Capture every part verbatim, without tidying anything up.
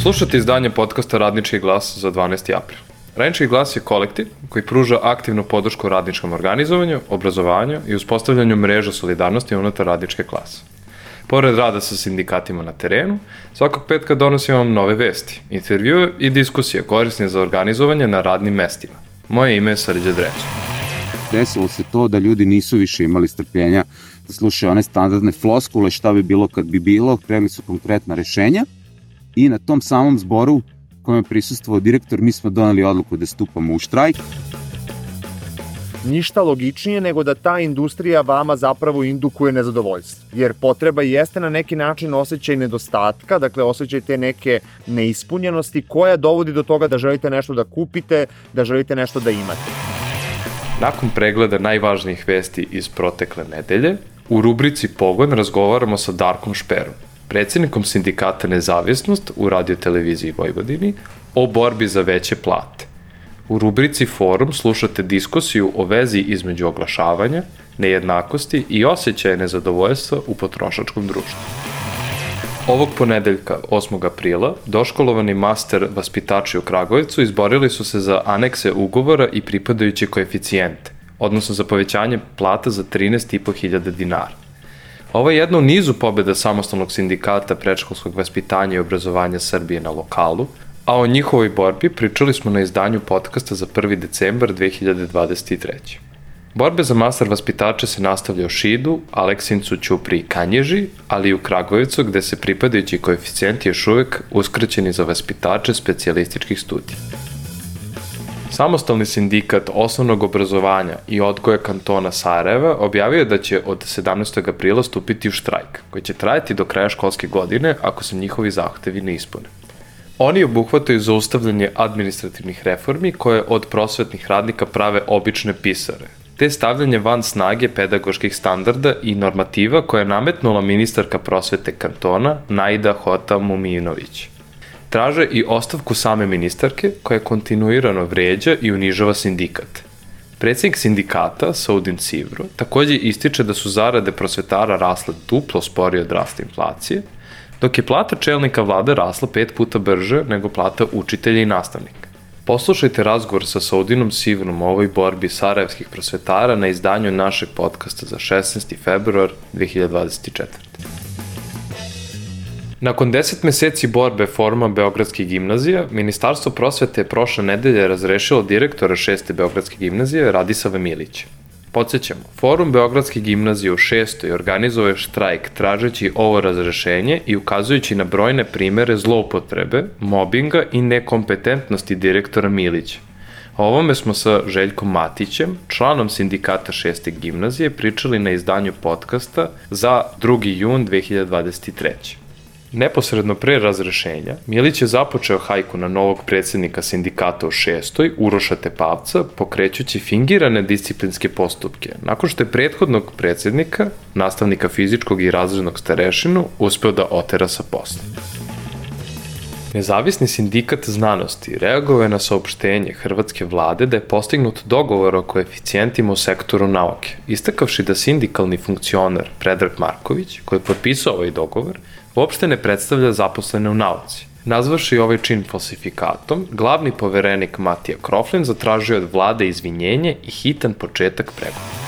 Slušate izdanje podcasta Radnički glas za dvanaesti april. Radnički glas je kolektiv koji pruža aktivnu podršku radničkom organizovanju, obrazovanju i uspostavljanju mreža solidarnosti unutar radničke klase. Pored rada sa sindikatima na terenu, svakog petka donosimo vam nove vesti, intervjue i diskusije korisne za organizovanje na radnim mestima. Moje ime je Srđan Dreco. Desilo se to da ljudi nisu više imali strpljenja da slušaju one standardne floskule šta bi bilo kad bi bilo, krenuli su konkretna rešenja i na tom samom zboru kojem je prisustvovao direktor mi smo doneli odluku da stupamo u štrajk. Ništa logičnije nego da ta industrija vama zapravo indukuje nezadovoljstvo. Jer potreba jeste na neki način osjećaj nedostatka, dakle osjećaj te neke neispunjenosti koja dovodi do toga da želite nešto da kupite, da želite nešto da imate. Nakon pregleda najvažnijih vesti iz protekle nedelje, u rubrici Pogon razgovaramo sa Darkom Šperom, predsjednikom sindikata Nezavisnost u Radio-televiziji Vojvodini, o borbi za veće plate. U rubrici Forum slušate diskusiju o vezi između oglašavanja, nejednakosti i osjećaja nezadovoljstva u potrošačkom društvu. Ovog ponedeljka, osmog aprila, doškolovani master vaspitači u Kragujevcu izborili su se za anekse ugovora i pripadajuće koeficijente, odnosno za povećanje plata za trinaest i po hiljada dinara. Ovo je jedna u nizu pobjeda samostalnog sindikata predškolskog vaspitanja i obrazovanja Srbije na lokalu, a o njihovoj borbi pričali smo na izdanju podcasta za prvi decembar dve hiljade dvadeset treće. Borbe za master vaspitače se nastavlja u Šidu, Aleksincu, Ćupri i Kanjiži, ali i u Kragujevcu gde se pripadajući koeficijenti još uvek uskraćeni za vaspitače specijalističkih studija. Samostalni sindikat osnovnog obrazovanja i odgoja kantona Sarajeva objavio je da će od sedamnaestog aprila stupiti u štrajk, koji će trajati do kraja školske godine ako se njihovi zahtevi ne ispune. Oni obuhvataju zaustavljanje administrativnih reformi koje od prosvetnih radnika prave obične pisare, te stavljanje van snage pedagoških standarda i normativa koje je nametnula ministarka prosvete kantona Najda Hota Muminović. Traže i ostavku same ministarke koja kontinuirano vređa i unižava sindikat. Predsjednik sindikata, Saudin Sivro, takođe ističe da su zarade prosvetara rasle duplo sporije od rasta inflacije, dok je plata čelnika vlade rasla pet puta brže nego plata učitelja i nastavnika. Poslušajte razgovor sa Saudinom Sivrom o ovoj borbi sarajevskih prosvetara na izdanju našeg podcasta za šesnaesti februar dve hiljade dvadeset četvrte. Nakon deset meseci borbe Foruma Beogradskih gimnazija, Ministarstvo prosvete je prošle nedelje razrešilo direktora šeste Beogradske gimnazije Radisava Milića. Podsjećamo, Forum Beogradske gimnazije u šestoj organizuje štrajk tražeći ovo razrešenje i ukazujući na brojne primere zloupotrebe, mobinga i nekompetentnosti direktora Milića. O ovome smo sa Željkom Matićem, članom sindikata šeste gimnazije, pričali na izdanju podcasta za drugi jun dve hiljade dvadeset treće. Neposredno pre razrešenja, Milić je započeo hajku na novog predsjednika sindikata u šestoj, Uroša Tepavca, pokrećući fingirane disciplinske postupke, nakon što je prethodnog predsjednika, nastavnika fizičkog i razrednog starešinu, uspeo da otera sa posla. Nezavisni sindikat znanosti reagovao je na saopštenje hrvatske vlade da je postignut dogovor o koeficijentima u sektoru nauke, istakavši da sindikalni funkcioner Predrag Marković, koji je potpisao ovaj dogovor, uopšte ne predstavlja zaposlene u nauci. Nazvaši ovaj čin falsifikatom, glavni poverenik Matija Kroflin zatražio od vlade izvinjenje i hitan početak pregovora.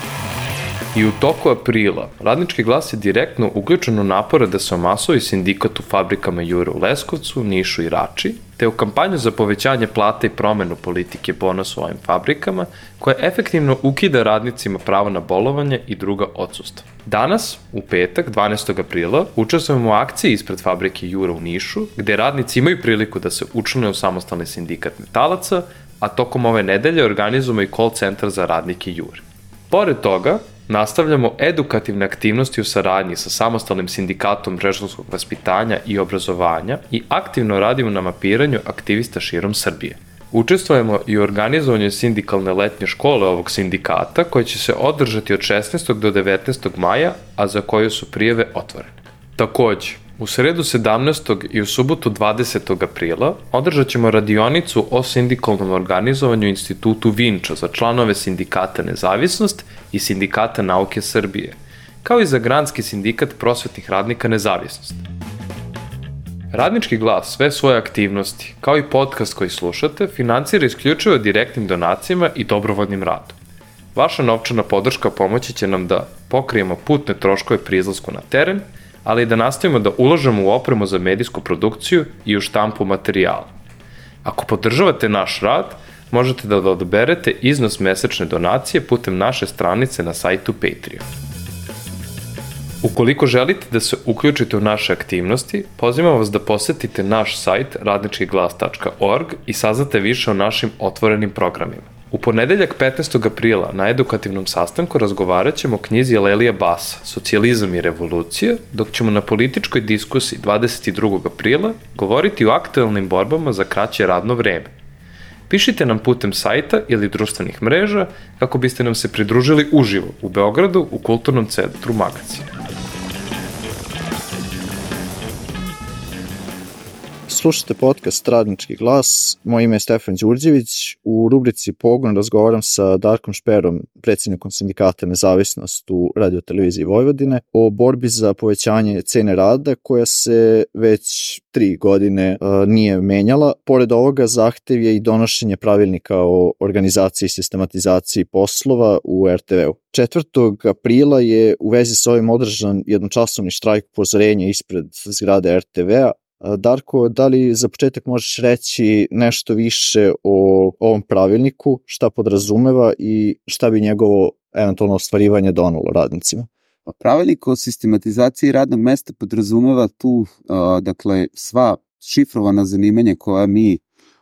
I u toku aprila, Radnički glas je direktno uključen u napore da se omasuje sindikat u fabrikama Jure u Leskovcu, Nišu i Rači, te u kampanju za povećanje plata i promenu politike bonus u ovim fabrikama, koja efektivno ukida radnicima pravo na bolovanje i druga odsustva. Danas, u petak, dvanaestog aprila, učestvujemo u akciji ispred fabrike Jure u Nišu, gde radnici imaju priliku da se učlane u samostalni sindikat metalaca, a tokom ove nedelje organizujemo i call centar za radnike Jure. Pored toga, nastavljamo edukativne aktivnosti u saradnji sa samostalnim sindikatom predškolskog vaspitanja i obrazovanja i aktivno radimo na mapiranju aktivista širom Srbije. Učestvujemo i u organizovanju sindikalne letnje škole ovog sindikata koje će se održati od šesnaestog do devetnaestog maja, a za koju su prijave otvorene. Takođe, u sredu sedamnaestog i u subotu dvadesetog aprila održat ćemo radionicu o sindikalnom organizovanju Institutu Vinča za članove sindikata Nezavisnost i sindikata Nauke Srbije, kao i za granski sindikat prosvetnih radnika Nezavisnost. Radnički glas sve svoje aktivnosti, kao i podcast koji slušate, financira isključivo direktnim donacijama i dobrovoljnim radom. Vaša novčana podrška pomoći će nam da pokrijemo putne troškove pri izlasku na teren, ali i da nastavimo da ulažemo u opremu za medijsku produkciju i u štampu materijala. Ako podržavate naš rad, možete da odaberete iznos mesečne donacije putem naše stranice na sajtu Patreon. Ukoliko želite da se uključite u naše aktivnosti, pozivamo vas da posetite naš sajt radnički glas tačka org i saznate više o našim otvorenim programima. U ponedeljak petnaestog aprila na edukativnom sastanku razgovarat ćemo o knjizi Lelija Basa, Socijalizam i revolucija, dok ćemo na političkoj diskusiji dvadeset drugog aprila govoriti o aktuelnim borbama za kraće radno vreme. Pišite nam putem sajta ili društvenih mreža kako biste nam se pridružili uživo u Beogradu u Kulturnom centru Magacin. Slušajte podcast Radnički glas, moje ime je Stefan Đurđević. U rubrici Pogon razgovaram sa Darkom Šperom, predsjednikom sindikata Nezavisnost u Radio-televiziji Vojvodine, o borbi za povećanje cene rada koja se već tri godine uh, nije menjala. Pored ovoga, zahtev je i donošenje pravilnika o organizaciji i sistematizaciji poslova u er te ve-u. četvrtog aprila je u vezi s ovim održan jednočasovni štrajk upozorenja ispred zgrade er te ve-a. Darko, da li za početak možeš reći nešto više o ovom pravilniku, šta podrazumeva i šta bi njegovo eventualno ostvarivanje donalo radnicima? Pravilnik o sistematizaciji radnog mesta podrazumeva tu, dakle, sva šifrovana zanimanja koja mi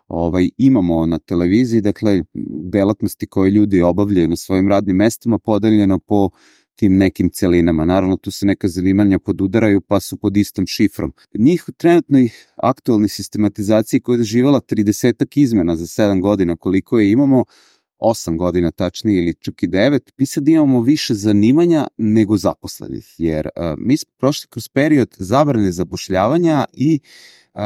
ovaj, imamo na televiziji, dakle, delatnosti koje ljudi obavljaju na svojim radnim mestima podeljeno po tim nekim celinama. Naravno, tu se neka zanimanja podudaraju pa su pod istom šifrom. Njih u trenutnoj aktualnoj sistematizaciji koja je doživala tridesetak izmena za sedam godina koliko je imamo, osam godina tačnije ili čak i devet, mi sad imamo više zanimanja nego zaposlenih, jer uh, mi smo prošli kroz period zabrane zapošljavanja i uh,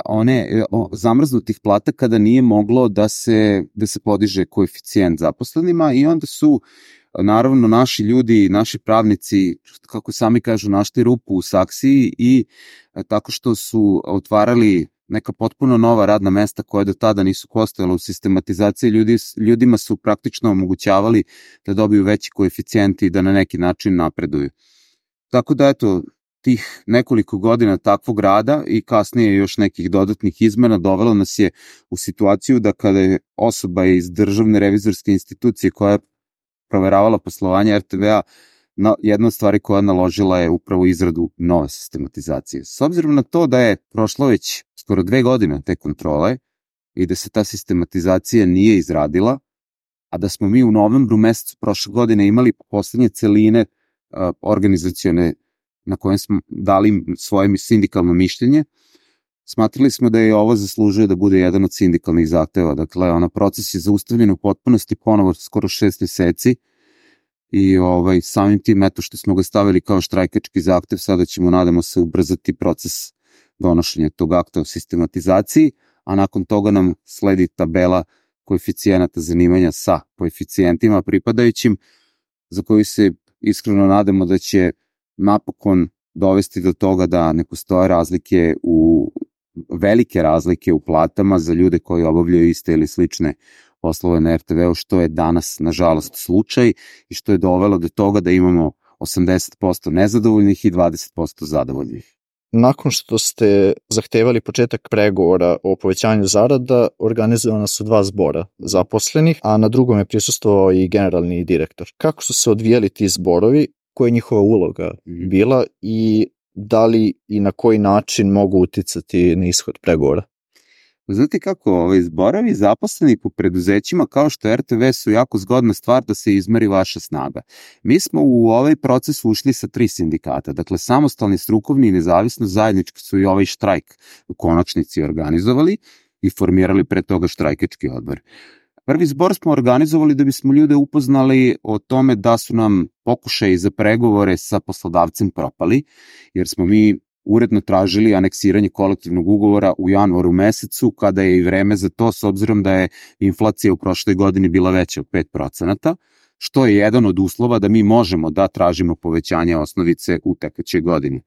one o, zamrznutih plata kada nije moglo da se, da se podiže koeficijent zaposlenima i onda su naravno naši ljudi, naši pravnici, kako sami kažu, našli rupu u saksiji i tako što su otvarali neka potpuno nova radna mesta koja do tada nisu postojala u sistematizaciji, ljudi, ljudima su praktično omogućavali da dobiju veći koeficijenti i da na neki način napreduju. Tako da eto, tih nekoliko godina takvog rada i kasnije još nekih dodatnih izmena dovelo nas je u situaciju da kada je osoba iz državne revizorske institucije koja je proveravala poslovanje er te ve-a, na, jedna od stvari koja naložila je upravo izradu nove sistematizacije. S obzirom na to da je prošlo već skoro dve godine te kontrole i da se ta sistematizacija nije izradila, a da smo mi u novembru mesecu prošle godine imali poslednje celine uh, organizacione na kojem smo dali svoje sindikalno mišljenje, smatrali smo da je ovo zaslužuje da bude jedan od sindikalnih zahteva. Dakle, ona proces je zaustavljen u potpunosti ponovo skoro šest meseci i ovaj, samim tim eto što smo ga stavili kao štrajkački zahtev, sada ćemo, nadamo se, ubrzati proces donošenja tog akta o sistematizaciji, a nakon toga nam sledi tabela koeficijenata zanimanja sa koeficijentima pripadajućim, za koju se iskreno nadamo da će napokon dovesti do toga da ne postoje razlike u velike razlike u platama za ljude koji obavljaju iste ili slične poslove na er te ve-u, što je danas, nažalost, slučaj i što je dovelo do toga da imamo osamdeset posto nezadovoljnih i dvadeset posto zadovoljnih. Nakon što ste zahtevali početak pregovora o povećanju zarada, organizovana su dva zbora zaposlenih, a na drugom je prisustvovao i generalni direktor. Kako su se odvijali ti zborovi, koja je njihova uloga bila i da li i na koji način mogu uticati na ishod pregovora? Znate kako, ovaj, zborovi zaposleni po preduzećima kao što er te ve su jako zgodna stvar da se izmeri vaša snaga. Mi smo u ovaj proces ušli sa tri sindikata, dakle samostalni, strukovni i nezavisno, zajednički su i ovaj štrajk u konačnici organizovali i formirali pre toga štrajkački odbor. Prvi zbor smo organizovali da bismo ljude upoznali o tome da su nam pokušaji za pregovore sa poslodavcem propali, jer smo mi uredno tražili aneksiranje kolektivnog ugovora u januaru mesecu, kada je i vreme za to, s obzirom da je inflacija u prošloj godini bila veća od pet procenata, što je jedan od uslova da mi možemo da tražimo povećanje osnovice u tekućoj godini.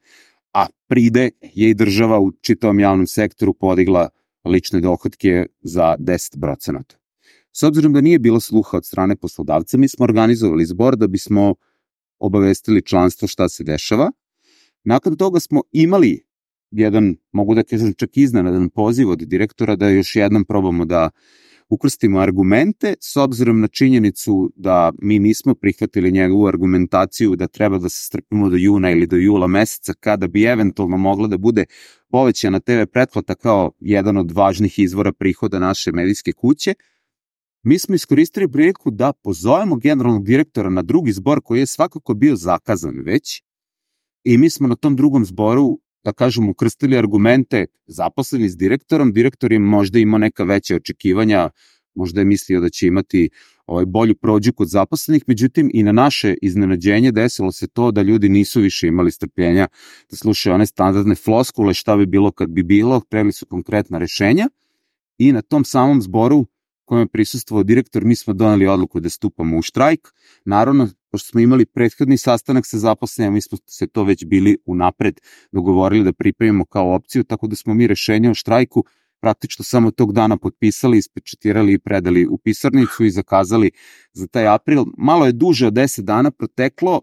a pride je i država u čitavom javnom sektoru podigla lične dohodke za deset procenata. S obzirom da nije bilo sluha od strane poslodavca, mi smo organizovali zbor da bismo obavestili članstvo šta se dešava. Nakon toga smo imali jedan, mogu da kažem čak iznenadan poziv od direktora da još jednom probamo da ukrstimo argumente, s obzirom na činjenicu da mi nismo prihvatili njegovu argumentaciju da treba da se strpimo do juna ili do jula meseca kada bi eventualno mogla da bude povećana te ve pretplata kao jedan od važnih izvora prihoda naše medijske kuće. Mi smo iskoristili priliku da pozovemo generalnog direktora na drugi zbor koji je svakako bio zakazan već i mi smo na tom drugom zboru, da kažem, ukrstili argumente zaposleni s direktorom. Direktor je možda imao neka veća očekivanja, možda je mislio da će imati ovaj, bolju prođu kod zaposlenih, međutim i na naše iznenađenje desilo se to da ljudi nisu više imali strpljenja da slušaju one standardne floskule šta bi bilo kad bi bilo, hteli su konkretna rešenja i na tom samom zboru kojem je prisustvovao direktor, mi smo doneli odluku da stupamo u štrajk. Naravno, pošto smo imali prethodni sastanak sa zaposlenima, mi smo se to već bili unapred dogovorili da pripremimo kao opciju, tako da smo mi rešenje o štrajku praktično samo tog dana potpisali, ispečatirali i predali u pisarnicu i zakazali za taj april. Malo je duže od deset dana proteklo,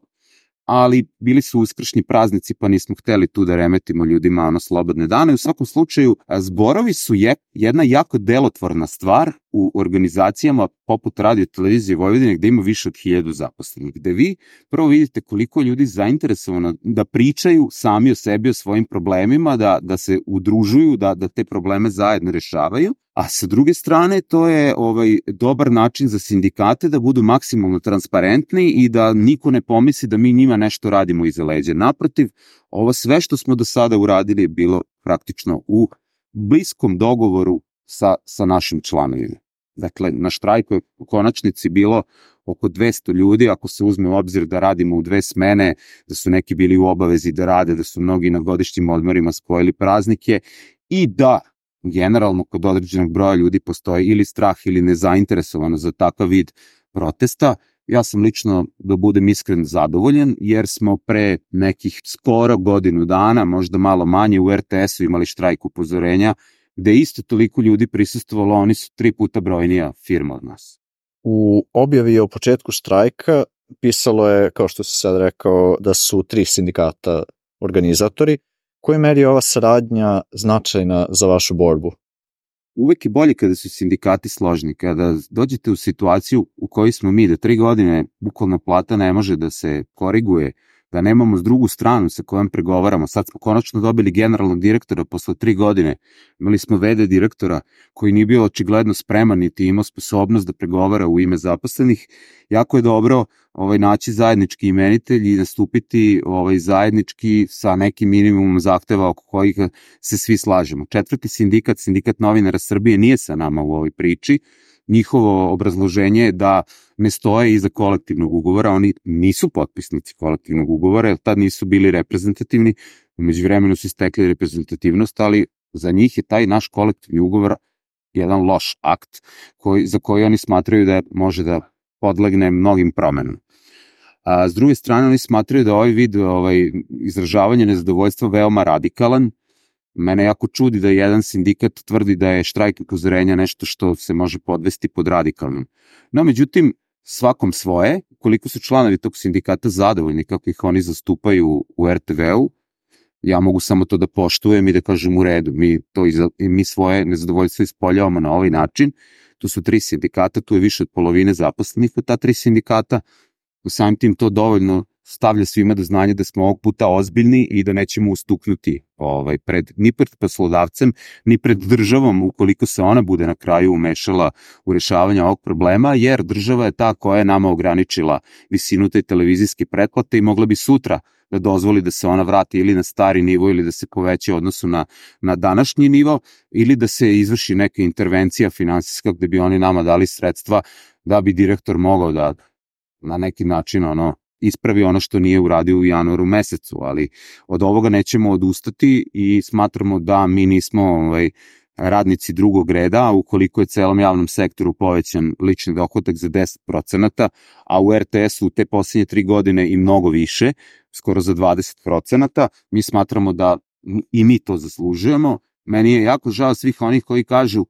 ali bili su uskršnji praznici pa nismo hteli tu da remetimo ljudima ono slobodne dane. U svakom slučaju, zborovi su je, jedna jako delotvorna stvar u organizacijama poput Radio Televizije Vojvodine gde ima više od hiljadu zaposlenih, gde vi prvo vidite koliko ljudi zainteresovano da pričaju sami o sebi, o svojim problemima, da, da se udružuju, da, da te probleme zajedno rešavaju. A sa druge strane, to je ovaj dobar način za sindikate da budu maksimalno transparentni i da niko ne pomisli da mi njima nešto radimo iza leđa. Naprotiv, ovo sve što smo do sada uradili je bilo praktično u bliskom dogovoru sa, sa našim članovima. Dakle, na štrajku je u konačnici bilo oko dvesta ljudi, ako se uzme u obzir da radimo u dve smene, da su neki bili u obavezi da rade, da su mnogi na godišnjim odmorima spojili praznike i da generalno kod određenog broja ljudi postoji ili strah ili nezainteresovano za takav vid protesta. Ja sam lično, da budem iskren, zadovoljen, jer smo pre nekih skoro godinu dana, možda malo manje, u er te esu imali štrajk upozorenja, gde isto toliko ljudi prisustvovalo, oni su tri puta brojnija firma od nas. U objavi o početku štrajka pisalo je, kao što si sad rekao, da su tri sindikata organizatori. U kojoj meri je ova saradnja značajna za vašu borbu? Uvek je bolje kada su sindikati složni, kada dođete u situaciju u kojoj smo mi, da tri godine bukvalno plata ne može da se koriguje, da nemamo s drugu stranu sa kojom pregovaramo. Sad smo konačno dobili generalnog direktora posle tri godine. Imali smo ve de direktora koji nije bio očigledno spreman niti imao sposobnost da pregovara u ime zaposlenih. Jako je dobro ovaj, naći zajednički imenitelj i nastupiti ovaj, zajednički sa nekim minimumom zahteva oko kojih se svi slažemo. Četvrti sindikat, Sindikat novinara Srbije, nije sa nama u ovoj priči. Njihovo obrazloženje je da ne stoje iza kolektivnog ugovora, oni nisu potpisnici kolektivnog ugovora, jer tad nisu bili reprezentativni, umeđu vremenu su istekli reprezentativnost, ali za njih je taj naš kolektivni ugovor jedan loš akt koji, za koji oni smatraju da može da podlegne mnogim promenama. A, s druge strane, oni smatraju da ovaj vid ovaj, izražavanja nezadovoljstva veoma radikalan. Mene jako čudi da jedan sindikat tvrdi da je štrajk upozorenja nešto što se može podvesti pod radikalnom. No, međutim, svakom svoje, koliko su članovi tog sindikata zadovoljni kako ih oni zastupaju u er te veu, ja mogu samo to da poštujem i da kažem u redu. Mi, to iza, mi svoje nezadovoljstvo ispoljavamo na ovaj način. Tu su tri sindikata, tu je više od polovine zaposlenih od ta tri sindikata. U samim tim to dovoljno stavlja svima do znanja da smo ovog puta ozbiljni i da nećemo ustuknuti ovaj, pred, ni pred poslodavcem, ni pred državom ukoliko se ona bude na kraju umešala u rešavanje ovog problema, jer država je ta koja je nama ograničila visinu te televizijske pretplate i mogla bi sutra da dozvoli da se ona vrati ili na stari nivo ili da se poveća u odnosu na, na današnji nivo ili da se izvrši neka intervencija finansijska gde bi oni nama dali sredstva da bi direktor mogao da na neki način ono ispravi ono što nije uradio u januaru mesecu, ali od ovoga nećemo odustati i smatramo da mi nismo ovaj, radnici drugog reda, a ukoliko je celom javnom sektoru povećan lični dohodak za deset procenata, a u er te esu u te posljednje tri godine i mnogo više, skoro za dvadeset procenata, mi smatramo da i mi to zaslužujemo. Meni je jako žao svih onih koji kažu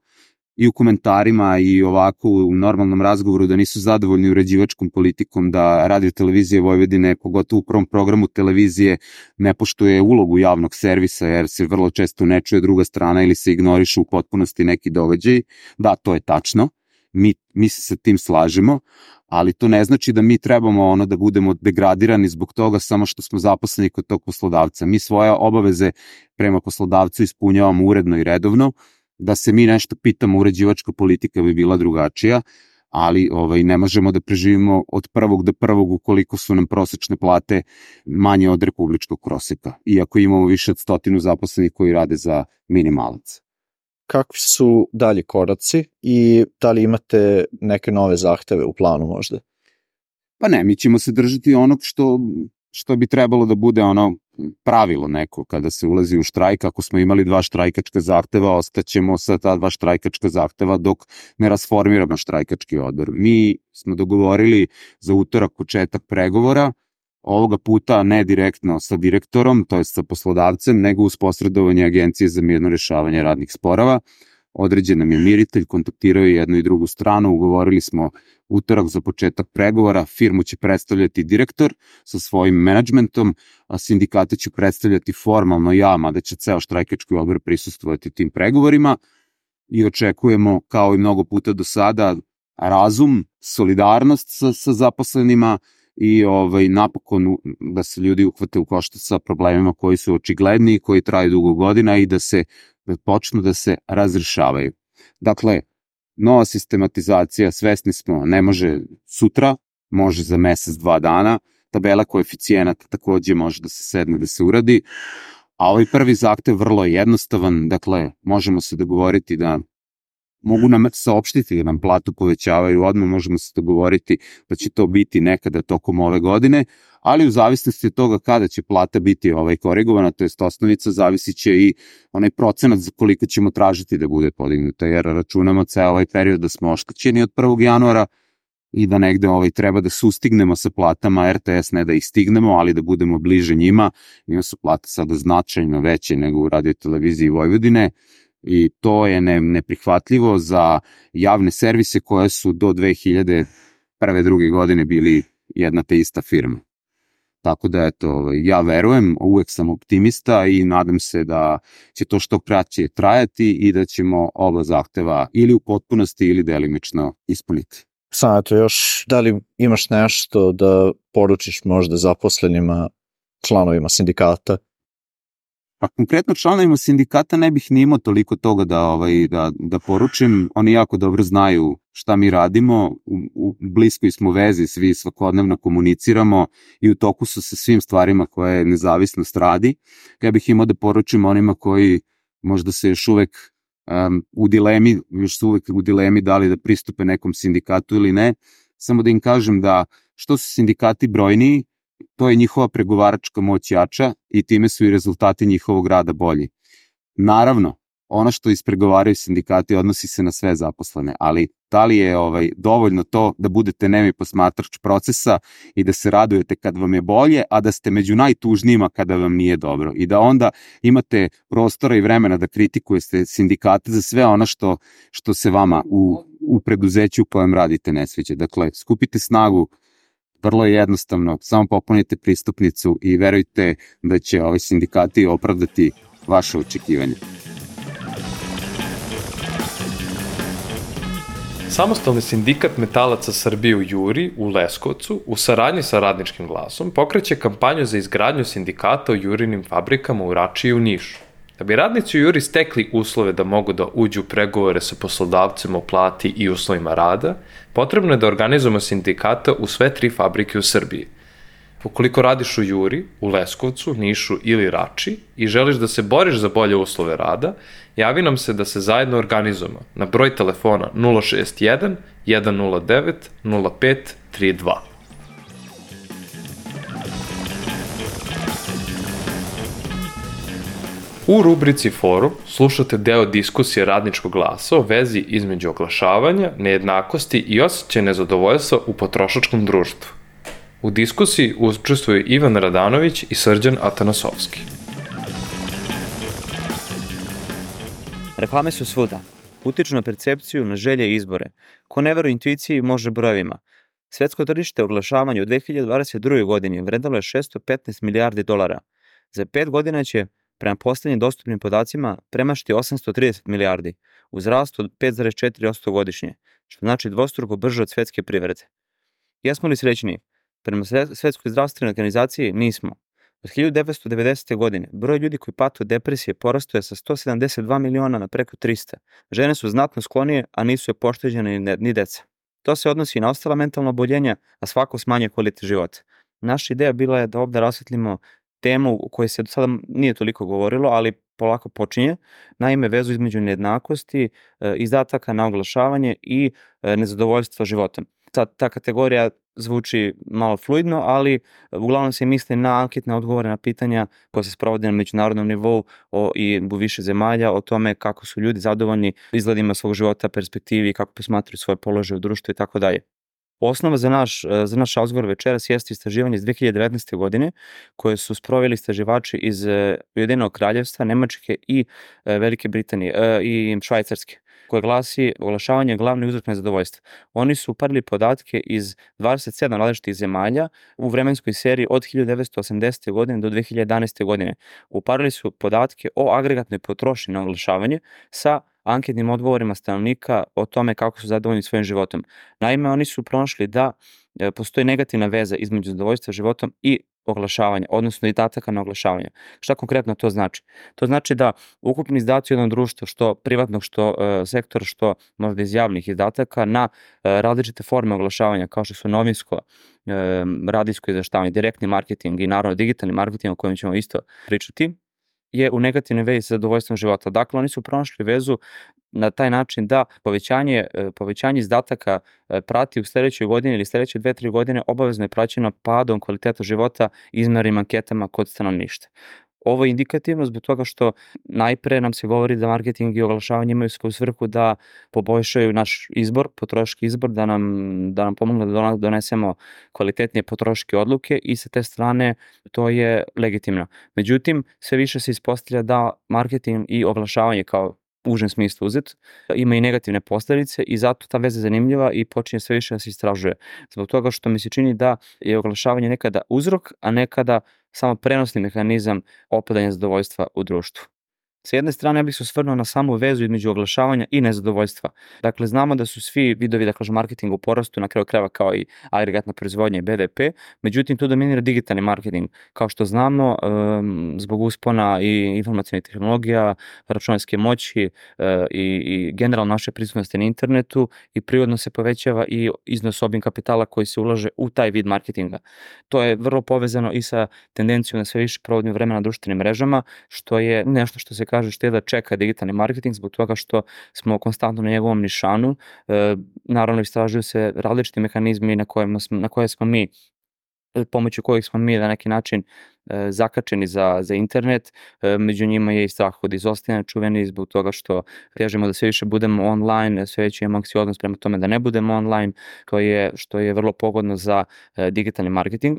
i u komentarima i ovako u normalnom razgovoru da nisu zadovoljni uređivačkom politikom, da Radio Televizije Vojvodine, pogotovo u prvom programu televizije, ne poštuje ulogu javnog servisa jer se vrlo često ne čuje druga strana ili se ignorišu u potpunosti neki događaj. Da, to je tačno, mi, mi se sa tim slažemo, ali to ne znači da mi trebamo ono da budemo degradirani zbog toga samo što smo zaposleni kod tog poslodavca. Mi svoje obaveze prema poslodavcu ispunjavamo uredno i redovno. Da se mi nešto pitamo, uređivačka politika bi bila drugačija, ali ovaj, ne možemo da preživimo od prvog do prvog ukoliko su nam prosečne plate manje od republičkog proseka, iako imamo više od stotinu zaposlenih koji rade za minimalac. Kakvi su dalji koraci i da li imate neke nove zahteve u planu možda? Pa ne, mi ćemo se držati onog što, što bi trebalo da bude ono pravilo neko kada se ulazi u štrajk. Ako smo imali dva štrajkačka zahteva, ostaćemo sa ta dva štrajkačka zahteva dok ne rasformiramo štrajkački odbor. Mi smo dogovorili za utorak početak pregovora, ovoga puta ne direktno sa direktorom, to je sa poslodavcem, nego uz posredovanje Agencije za mirno rešavanje radnih sporova. Određen nam je miritelj, kontaktirao je jednu i drugu stranu, ugovorili smo utorak za početak pregovora, firmu će predstavljati direktor sa svojim menadžmentom, a sindikate će predstavljati formalno ja, mada će ceo štrajkački odbor prisustvovati tim pregovorima i očekujemo, kao i mnogo puta do sada, razum, solidarnost sa, sa zaposlenima i ovaj, napokon da se ljudi uhvate u koštac sa problemima koji su očigledni i koji traju dugo godina i da se da počnu da se razrešavaju. Dakle, nova sistematizacija, svesni smo, ne može sutra, može za mesec, dva dana, tabela koeficijenata takođe može da se sedne da se uradi, a ovaj prvi zahtev vrlo je jednostavan, dakle, možemo se dogovoriti da mogu nam saopštiti da nam platu povećavaju odmah, možemo se dogovoriti da će to biti nekada tokom ove godine, ali u zavisnosti od toga kada će plata biti ovaj korigovana, to jest osnovica, zavisit će i onaj procenat za koliko ćemo tražiti da bude podignuta, jer računamo ceo ovaj period da smo oštećeni od prvog januara i da negde ovaj treba da sustignemo sa platama er te es, ne da ih stignemo, ali da budemo bliže njima. Njima su plate sada značajno veće nego u Radio Televiziji Vojvodine, i to je ne, neprihvatljivo za javne servise koje su do dve hiljade prve. druge godine bili jedna te ista firma. Tako da, eto, ja verujem, uvek sam optimista i nadam se da će to što kraće trajati i da ćemo oba zahteva ili u potpunosti ili delimično ispuniti. Samo eto još, da li imaš nešto da poručiš možda zaposlenima, članovima sindikata? Pa konkretno članovima sindikata ne bih ni imao toliko toga da, ovaj, da, da poručim. Oni jako dobro znaju šta mi radimo, u, u bliskoj smo vezi, svi svakodnevno komuniciramo i u toku su sa svim stvarima koje nezavisnost radi. Ja bih imao da poručim onima koji možda se još uvek um, u dilemi, još su uvek u dilemi da li da pristupe nekom sindikatu ili ne, samo da im kažem da što su sindikati brojniji, to je njihova pregovaračka moć jača i time su i rezultati njihovog rada bolji. Naravno, ono što ispregovaraju sindikati odnosi se na sve zaposlene, ali da li je ovaj, dovoljno to da budete nemi posmatrač procesa i da se radujete kad vam je bolje, a da ste među najtužnijima kada vam nije dobro i da onda imate prostora i vremena da kritikujete sindikate za sve ono što, što se vama u, u preduzeću u kojem radite ne sviđa. Dakle, skupite snagu, vrlo je jednostavno, samo popunite pristupnicu i verujte da će ovi sindikati opravdati vaše očekivanje. Samostalni sindikat metalaca Srbije u Juri u Leskovcu u saradnji sa Radničkim glasom pokreće kampanju za izgradnju sindikata u Jurinim fabrikama u Rači i u Nišu. Da bi radnici u Juri stekli uslove da mogu da uđu u pregovore sa poslodavcem o plati i uslovima rada, potrebno je da organizujemo sindikata u sve tri fabrike u Srbiji. Ukoliko radiš u Juri, u Leskovcu, Nišu ili Rači i želiš da se boriš za bolje uslove rada, javi nam se da se zajedno organizujemo na broj telefona nula šest jedan, jedan nula devet, nula pet tri dva. U rubrici Forum slušate deo diskusije Radničkog glasa o vezi između oglašavanja, nejednakosti i osjećaja nezadovoljstva u potrošačkom društvu. U diskusiji učestvuju Ivan Radanović i Srđan Atanasovski. Reklame su svuda. Utiču na percepciju, na želje i izbore. Ko ne veruje intuiciji može brojevima. Svetsko tržište oglašavanja u dve hiljade dvadeset drugoj godini vredelo je šesto petnaest milijardi dolara. Za pet godina će, prema poslednjim dostupnim podacima, premašiti osamsto trideset milijardi, uz rast od pet zarez četiri posto godišnje, što znači dvostruko brže od svetske privrede. Jesmo li srećni? Prema Svetskoj zdravstvenoj organizaciji nismo. Od hiljadu devetsto devedesete. godine broj ljudi koji pate od depresije porastao je sa sto sedamdeset dva miliona na preko trista. Žene su znatno sklonije, a nisu je pošteđene ni, ni deca. To se odnosi i na ostala mentalna oboljenja, a svako smanjuje kvalitet života. Naša ideja bila je da ovde rasvetlimo temu o kojoj se do sada nije toliko govorilo, ali polako počinje, naime vezu između nejednakosti, izdataka na oglašavanje i nezadovoljstva životom. Sad, ta kategorija zvuči malo fluidno, ali uglavnom se misli na anketne odgovore na pitanja koje se sprovode na međunarodnom nivou o, i u više zemalja o tome kako su ljudi zadovoljni izgledima svog života, perspektivi, kako posmatraju svoje položaje u društvu i tako dalje. Osnova za naš, za naš razgovor večeras jeste istraživanje iz dve hiljade devetnaeste. godine koje su sproveli istraživači iz Ujedinjenog kraljevstva, Nemačke i Velike Britanije i Švajcarske, koje glasi oglašavanje je glavni uzrok nezadovoljstva. Oni su uparili podatke iz dvadeset sedam različitih zemalja u vremenskoj seriji od hiljadu devetsto osamdesete. godine do dve hiljade jedanaeste. godine. Uparili su podatke o agregatnoj potrošnji na oglašavanje sa anketnim odgovorima stanovnika o tome kako su zadovoljni svojim životom. Naime, oni su pronašli da postoji negativna veza između zadovoljstva životom i oglašavanja, odnosno izdataka na oglašavanje. Šta konkretno to znači? To znači da ukupni izdaci jednog društva, što privatnog, što e, sektora, što možda iz javnih izdataka na e, različite forme oglašavanja, kao što su novinsko, e, radijsko izveštavanje, direktni marketing i naravno digitalni marketing o kojem ćemo isto pričati, je u negativnoj vezi sa zadovoljstvom života. Dakle, oni su pronašli vezu na taj način da povećanje, povećanje izdataka prati u sledećoj godini ili sledeće dve, tri godine obavezno je praćeno padom kvaliteta života izmernim anketama kod stanovništva. Ovo je indikativno zbog toga što najpre nam se govori da marketing i oglašavanje imaju svoju svrhu da poboljšaju naš izbor, potrošački izbor, da nam, da nam pomognu da donesemo kvalitetnije potrošačke odluke i sa te strane to je legitimno. Međutim, sve više se ispostavlja da marketing i oglašavanje kao u užem smislu uzet, ima i negativne posledice i zato ta veza je zanimljiva i počinje sve više da se istražuje. Zbog toga što mi se čini da je oglašavanje nekada uzrok, a nekada samo prenosni mehanizam opadanja zadovoljstva u društvu. Sa jedne strane, ja bih se osvrnuo na samu vezu između oglašavanja i nezadovoljstva. Dakle, znamo da su svi vidovi, da kažem, marketinga u porastu, na kraju krajeva kao i agregatna proizvodnja i B D P, međutim, tu dominira digitalni marketing. Kao što znamo, zbog uspona i informacionih tehnologija, računarske moći i, i generalno naše prisutnosti na internetu i prirodno se povećava i iznos obim kapitala koji se ulaže u taj vid marketinga. To je vrlo povezano i sa tendencijom na sve više provodnje vremena na društvenim mrežama, što je nešto što se kaže što je da čeka digitalni marketing zbog toga što smo konstantno na njegovom nišanu. E, naravno, istražuju se različiti mehanizmi na, kojima smo, na koje smo mi, pomoću kojih smo mi na neki način e, zakačeni za, za internet. E, među njima je i strah od izostajanja čuveni zbog toga što težimo da sve više budemo online, sve više imamo anksioznost prema tome da ne budemo online, što je, što je vrlo pogodno za e, digitalni marketing.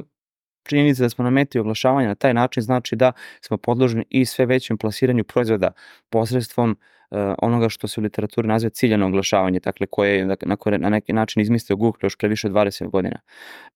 Činjenica da smo na meti oglašavanja na taj način znači da smo podložni i sve većem plasiranju proizvoda posredstvom uh, onoga što se u literaturi naziva ciljano oglašavanje, dakle koje je na, koje na neki način izmislio Google još pre više od dvadeset godina.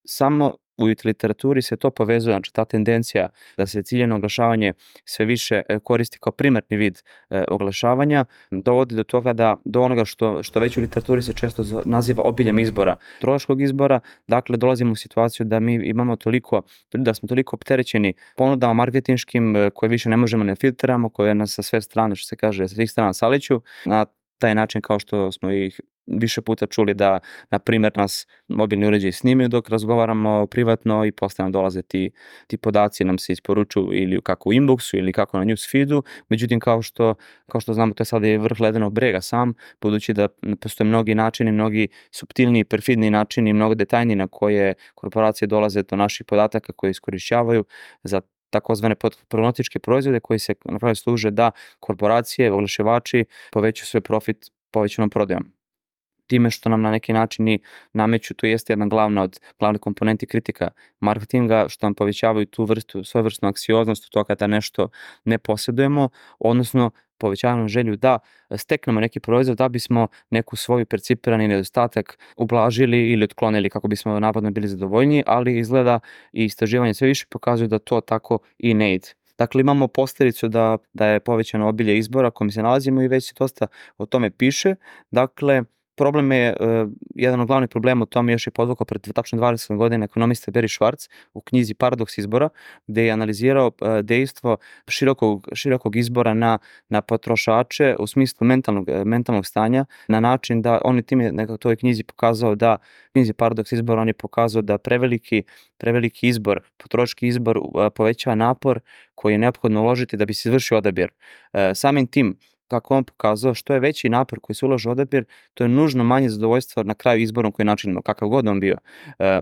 Samo u literaturi se to povezuje, znači ta tendencija da se ciljano oglašavanje sve više koristi kao primarni vid e, oglašavanja, dovodi do toga da, do onoga što, što već u literaturi se često naziva obiljem izbora, troškog izbora, dakle dolazimo u situaciju da mi imamo toliko, da smo toliko opterećeni ponudama marketinškim koje više ne možemo ne filtramo, koje nas sa sve strane, što se kaže, sa svih strana saliću, na taj način kao što smo ih više puta čuli da, na primjer, nas mobilni uređaji snimaju dok razgovaramo privatno i posle nam dolaze ti, ti podaci, nam se isporučuju ili kako u inboxu ili kako na newsfeedu, međutim kao što, kao što znamo to je sada i vrh ledenog brega sam, budući da postoje mnogi načini, mnogi suptilniji, perfidniji načini, mnogo detaljniji na koje korporacije dolaze do naših podataka koje iskorišćavaju za takozvane problematičke proizvode koji se na kraju služe da korporacije, oglašivači povećaju svoj profit povećanom prodajom. Time što nam na neki način i nameću, to jeste jedna glavna od glavnih komponenti kritika marketinga, što nam povećavaju tu vrstu, svojevrsnu anksioznost od toga da nešto ne posjedujemo, odnosno povećavamo želju da steknemo neki proizvod da bismo neku svoju percipirani nedostatak ublažili ili otklonili kako bismo navodno bili zadovoljniji, ali izgleda i istraživanje sve više pokazuju da to tako i ne ide. Dakle, imamo posljedicu da, da je povećano obilje izbora kojim se nalazimo i već se dosta o tome piše. Dakle, problem je, uh, jedan od glavnih problema u tome još je podvukao pred tačno dvadeset godina ekonomista Barry Schwartz u knjizi Paradoks izbora, gde je analizirao uh, dejstvo širokog, širokog izbora na, na potrošače u smislu mentalnog, mentalnog stanja, na način da on je tim je nekako toj knjizi pokazao da, knjizi Paradoks izbora, on je pokazao da preveliki, preveliki izbor, potrošački izbor uh, povećava napor koji je neophodno uložiti da bi se izvršio odabir. Uh, samim tim, kako on pokazao, što je veći napor koji se ulaže u odabir, to je nužno manje zadovoljstvo na kraju izborom koji načinimo, kakav god on bio. E,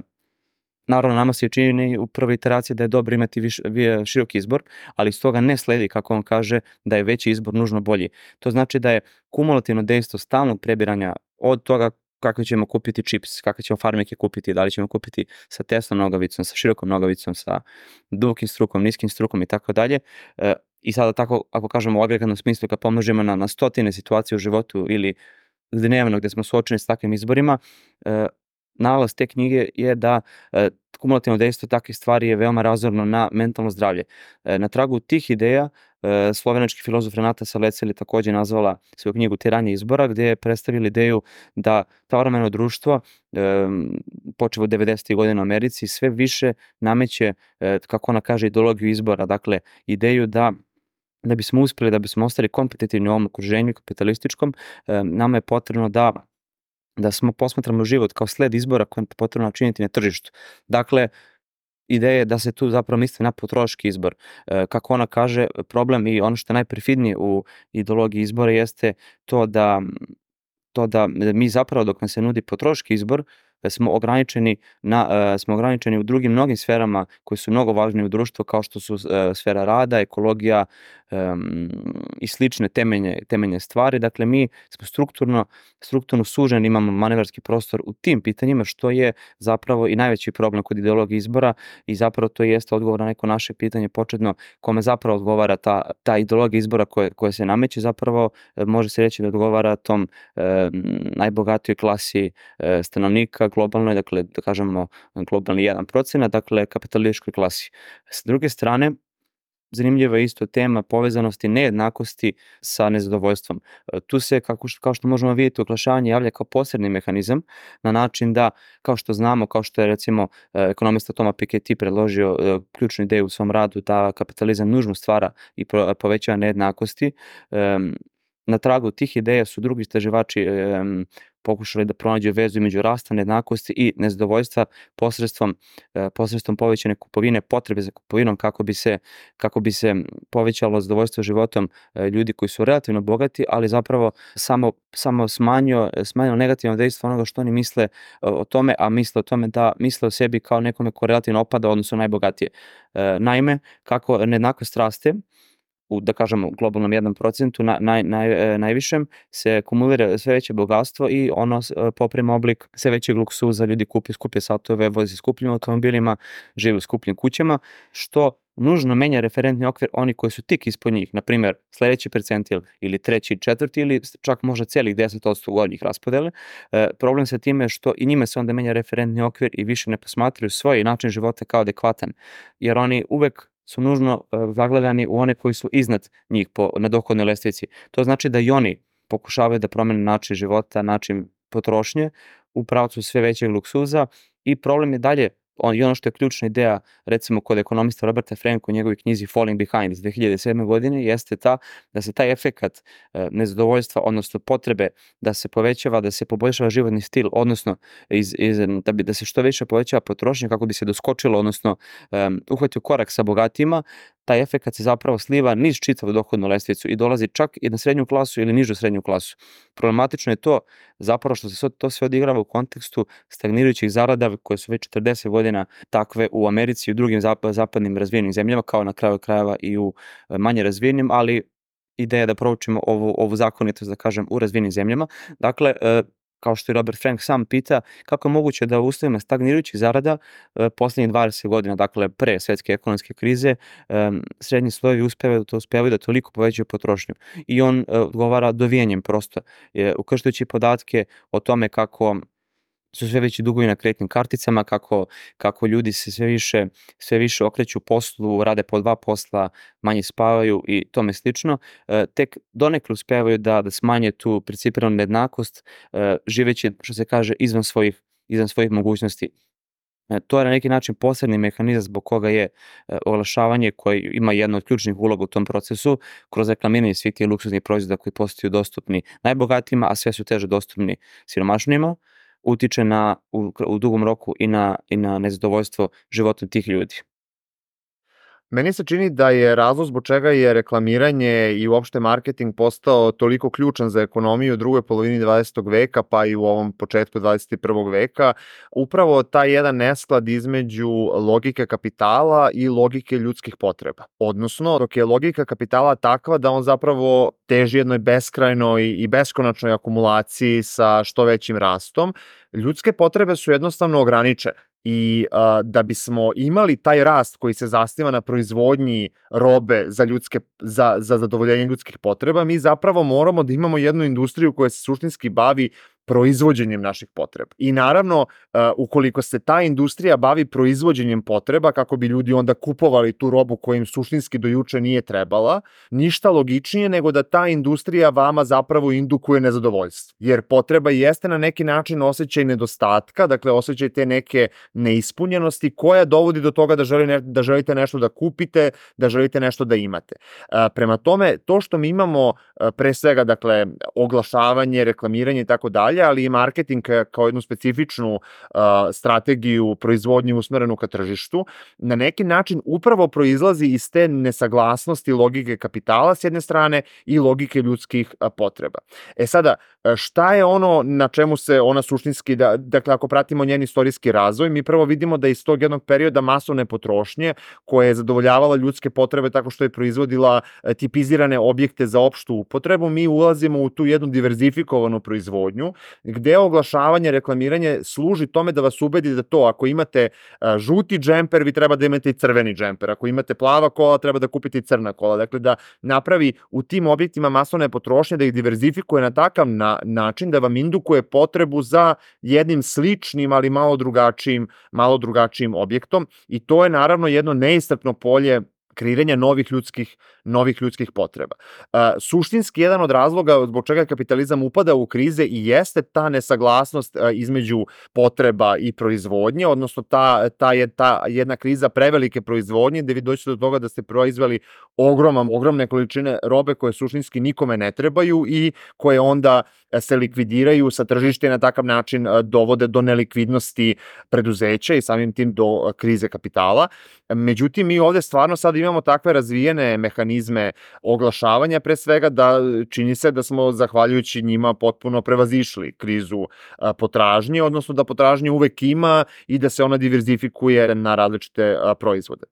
naravno, nama se čini u prvoj iteraciji da je dobro imati viš, široki izbor, ali iz toga ne sledi, kako on kaže, da je veći izbor nužno bolji. To znači da je kumulativno dejstvo stalnog prebiranja od toga kako ćemo kupiti čips, kakve ćemo farmike kupiti, da li ćemo kupiti sa tesnom nogavicom, sa širokom nogavicom, sa dubokim strukom, niskim strukom i tako dalje. I sada tako, ako kažemo u agregatnom smislu, kad pomnožimo na, na stotine situacije u životu ili dnevno gde smo suočeni s takvim izborima, e, nalaz te knjige je da e, kumulativno dejstvo takvih stvari je veoma razorno na mentalno zdravlje. E, na tragu tih ideja e, slovenački filozof Renata Salecel je takođe nazvala svoju knjigu Tiranje izbora, gde je predstavila ideju da savremeno društvo, e, počevo od devedesetih godina u Americi, sve više nameće, e, kako ona kaže, ideologiju izbora, dakle ideju da da bismo uspeli, da bismo ostali kompetitivni u ovom okruženju kapitalističkom, e, nama je potrebno da da smo posmatramo život kao sled izbora koje je potrebno načiniti na tržištu. Dakle, ideja je da se tu zapravo misli na potrošački izbor. E, kako ona kaže, problem i ono što je najperfidnije u ideologiji izbora jeste to da, to da mi zapravo dok nam se nudi potrošački izbor, smo ograničeni na uh, smo ograničeni u drugim mnogim sferama koje su mnogo važnije u društvu, kao što su uh, sfera rada, ekologija um, i slične temeljne temeljne stvari. Dakle, mi smo strukturno strukturno suženi, imamo manevarski prostor u tim pitanjima, što je zapravo i najveći problem kod ideologije izbora i zapravo to jeste odgovor na neko naše pitanje početno, kome zapravo odgovara ta ta ideologija izbora koje koje se nameće, zapravo uh, može se reći da odgovara tom uh, najbogatijoj klasi uh, stanovnika globalnoj, dakle, da kažemo globalni jedan procenat, dakle, kapitalističkoj klasi. S druge strane, zanimljiva je isto tema povezanosti nejednakosti sa nezadovoljstvom. Tu se, kako što, kao što možemo vidjeti, oglašavanje javlja kao posredni mehanizam na način da, kao što znamo, kao što je recimo ekonomista Thomas Piketty predložio ključnu ideju u svom radu da kapitalizam nužno stvara i povećava nejednakosti, na tragu tih ideja su drugi istraživači um, pokušali da pronađu vezu između rasta nejednakosti i nezadovoljstva posredstvom uh, posredstvom povećane kupovine, potrebe za kupovinom kako bi se kako bi se povećalo zadovoljstvo životom uh, ljudi koji su relativno bogati, ali zapravo samo samo smanjio smanjio negativno dejstvo onoga što oni misle uh, o tome, a misle o tome da misle o sebi kao nekome ko relativno opada odnosno najbogatije. Uh, naime, kako nejednakost raste u, da kažemo, globalnom jednom procentu, na, naj, naj, najvišem, se kumulira sve veće bogatstvo i ono poprima oblik sve većeg luksuza, ljudi kupi skuplje satove, vozi skupljim automobilima, žive u skupljim kućama, što nužno menja referentni okvir oni koji su tik ispod njih, na primjer sledeći percentil ili treći, četvrti ili čak možda celih deset posto gornjih raspodele. E, problem sa time je što i njime se onda menja referentni okvir i više ne posmatraju svoj način života kao adekvatan, jer oni uvek su nužno uh, zagledani u one koji su iznad njih po, na dohodnoj lestvici. To znači da i oni pokušavaju da promene način života, način potrošnje u pravcu sve većeg luksuza i problem je dalje, on, i ono što je ključna ideja, recimo kod ekonomista Roberta Franka u njegovoj knjizi Falling Behind iz dve hiljade sedme. godine, jeste ta da se taj efekat e, nezadovoljstva, odnosno potrebe da se povećava, da se poboljšava životni stil, odnosno iz, iz, da, bi, da se što više povećava potrošnja kako bi se doskočilo, odnosno e, uhvatio korak sa bogatima, taj efekat se zapravo sliva niz čitavu dohodnu lestvicu i dolazi čak i na srednju klasu ili nižu srednju klasu. Problematično je to zapravo što se to sve odigrava u kontekstu stagnirajućih zarada koje su već četrdeset godina takve u Americi i u drugim zapadnim razvijenim zemljama, kao na kraju krajeva i u manje razvijenim, ali ideja da proučimo ovu, ovu zakonitost, da kažem, u razvijenim zemljama. Dakle, kao što je Robert Frank sam pita, kako je moguće da u uslovima stagnirajućih zarada poslednjih dvadeset godina, dakle pre svetske ekonomske krize, srednji slojevi uspevaju da uspevaju da toliko povećaju potrošnju. I on odgovara dovijanjem prosto, ukrštajući podatke o tome kako su sve veći dugovi na kreditnim karticama, kako, kako ljudi se sve više, sve više okreću poslu, rade po dva posla, manje spavaju i tome slično, tek donekle uspevaju da, da smanje tu principiranu nejednakost, živeći, što se kaže, izvan svojih, izvan svojih mogućnosti. To je na neki način posebni mehanizam zbog koga je oglašavanje koje ima jednu od ključnih uloga u tom procesu kroz reklamiranje svih tih luksuznih proizvoda koji postaju dostupni najbogatijima, a sve su teže dostupni siromašnijima, utiče na, u, u dugom roku i na, i na nezadovoljstvo životom tih ljudi. Meni se čini da je razlog zbog čega je reklamiranje i uopšte marketing postao toliko ključan za ekonomiju u drugoj polovini dvadesetog veka, pa i u ovom početku dvadeset prvog veka, upravo taj jedan nesklad između logike kapitala i logike ljudskih potreba. Odnosno, dok je logika kapitala takva da on zapravo teži jednoj beskrajnoj i beskonačnoj akumulaciji sa što većim rastom, ljudske potrebe su jednostavno ograničene. I a, da bismo imali taj rast koji se zasniva na proizvodnji robe za, ljudske, za, za zadovoljenje ljudskih potreba, mi zapravo moramo da imamo jednu industriju koja se suštinski bavi proizvođenjem naših potreba. I naravno, uh, ukoliko se ta industrija bavi proizvođenjem potreba, kako bi ljudi onda kupovali tu robu koja im suštinski do juče nije trebala, ništa logičnije nego da ta industrija vama zapravo indukuje nezadovoljstvo. Jer potreba jeste na neki način osjećaj nedostatka, dakle osjećaj te neke neispunjenosti koja dovodi do toga da, želi ne, da želite nešto da kupite, da želite nešto da imate. Uh, prema tome, to što mi imamo uh, pre svega, dakle, oglašavanje, reklamiranje i tako dalje, ali i marketing kao jednu specifičnu uh, strategiju proizvodnje usmerenu ka tržištu, na neki način upravo proizlazi iz te nesaglasnosti logike kapitala s jedne strane i logike ljudskih uh, potreba. E sada, šta je ono na čemu se ona suštinski, da, dakle ako pratimo njen istorijski razvoj, mi prvo vidimo da iz tog jednog perioda masovne potrošnje koja je zadovoljavala ljudske potrebe tako što je proizvodila tipizirane objekte za opštu upotrebu, mi ulazimo u tu jednu diverzifikovanu proizvodnju gde oglašavanje, reklamiranje služi tome da vas ubedi da to, ako imate žuti džemper, vi treba da imate i crveni džemper, ako imate plava kola, treba da kupite i crna kola, dakle da napravi u tim objektima masovne potrošnje, da ih diverzifikuje na takav na, način da vam indukuje potrebu za jednim sličnim, ali malo drugačijim, malo drugačijim objektom i to je naravno jedno neiscrpno polje kreiranja novih ljudskih, novih ljudskih potreba. Uh, suštinski jedan od razloga zbog čega kapitalizam upada u krize i jeste ta nesaglasnost uh, između potreba i proizvodnje, odnosno ta, ta, je, ta jedna kriza prevelike proizvodnje gde vi doćete do toga da ste proizveli ogroman, ogromne količine robe koje suštinski nikome ne trebaju i koje onda se likvidiraju sa tržišta i na takav način dovode do nelikvidnosti preduzeća i samim tim do krize kapitala. Međutim, mi ovde stvarno sad imamo takve razvijene mehanizme oglašavanja, pre svega da čini se da smo zahvaljujući njima potpuno prevazišli krizu potražnje, odnosno da potražnje uvek ima i da se ona diverzifikuje na različite proizvode.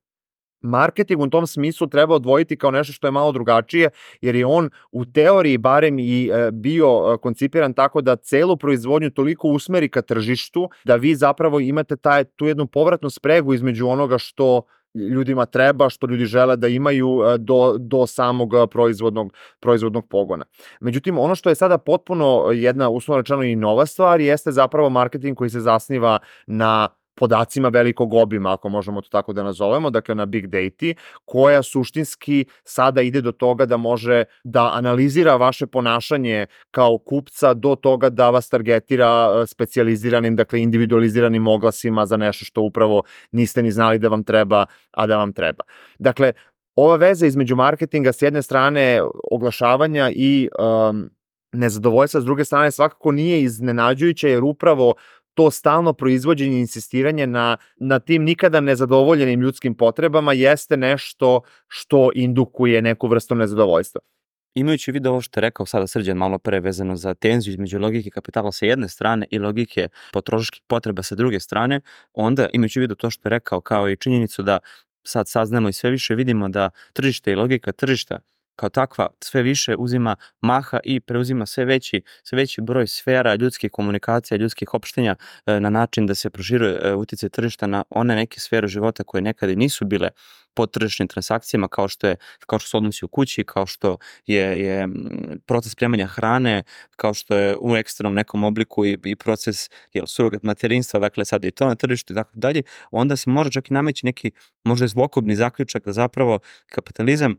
Marketing u tom smislu treba odvojiti kao nešto što je malo drugačije, jer je on u teoriji barem i bio koncipiran tako da celu proizvodnju toliko usmeri ka tržištu, da vi zapravo imate taj, tu jednu povratnu spregu između onoga što ljudima treba, što ljudi žele da imaju do, do samog proizvodnog, proizvodnog pogona. Međutim, ono što je sada potpuno jedna, uslovno rečeno, i nova stvar, jeste zapravo marketing koji se zasniva na podacima velikog obima, ako možemo to tako da nazovemo, dakle na big data, koja suštinski sada ide do toga da može da analizira vaše ponašanje kao kupca do toga da vas targetira specijaliziranim, dakle individualiziranim oglasima za nešto što upravo niste ni znali da vam treba, a da vam treba. Dakle, ova veza između marketinga s jedne strane oglašavanja i um, nezadovoljstva s druge strane svakako nije iznenađujuća, jer upravo to stalno proizvođenje i insistiranje na, na tim nikada nezadovoljenim ljudskim potrebama jeste nešto što indukuje neku vrstu nezadovoljstva. Imajući u vidu ovo što je rekao sada Srđan malo pre vezano za tenziju između logike kapitala sa jedne strane i logike potrošačkih potreba sa druge strane, onda imajući u vidu to što je rekao kao i činjenicu da sad saznamo i sve više vidimo da tržište i logika tržišta kao takva sve više uzima maha i preuzima sve veći, sve veći broj sfera ljudskih komunikacija, ljudskih opštenja na način da se proširuje uticaj tržišta na one neke sfere života koje nekada nisu bile pod tržišnim transakcijama, kao što je kao što su odnosi u kući, kao što je, je proces spremanja hrane, kao što je u ekstremnom nekom obliku i, i proces jel, surogat materinstva, dakle sad i to na tržištu i tako dalje, onda se može čak i nameći neki možda zlokobni zaključak da zapravo kapitalizam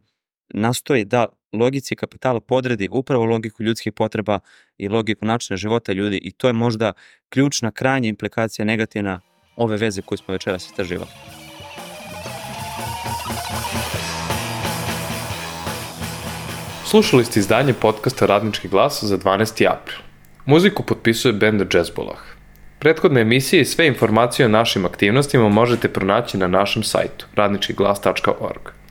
nastoji da logici kapitala podredi upravo logiku ljudskih potreba i logiku načina života ljudi i to je možda ključna krajnja implikacija negativna ove veze koju smo večeras istraživali. Slušali ste izdanje podcasta Radnički glas za dvanaesti april. Muziku potpisuje bend Jazzbolah. Prethodne emisije i sve informacije o našim aktivnostima možete pronaći na našem sajtu radnički glas tačka org.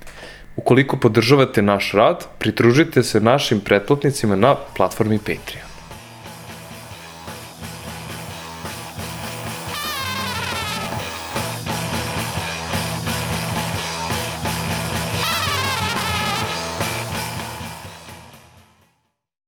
Ukoliko podržavate naš rad, pridružite se našim pretplatnicima na platformi Patreon.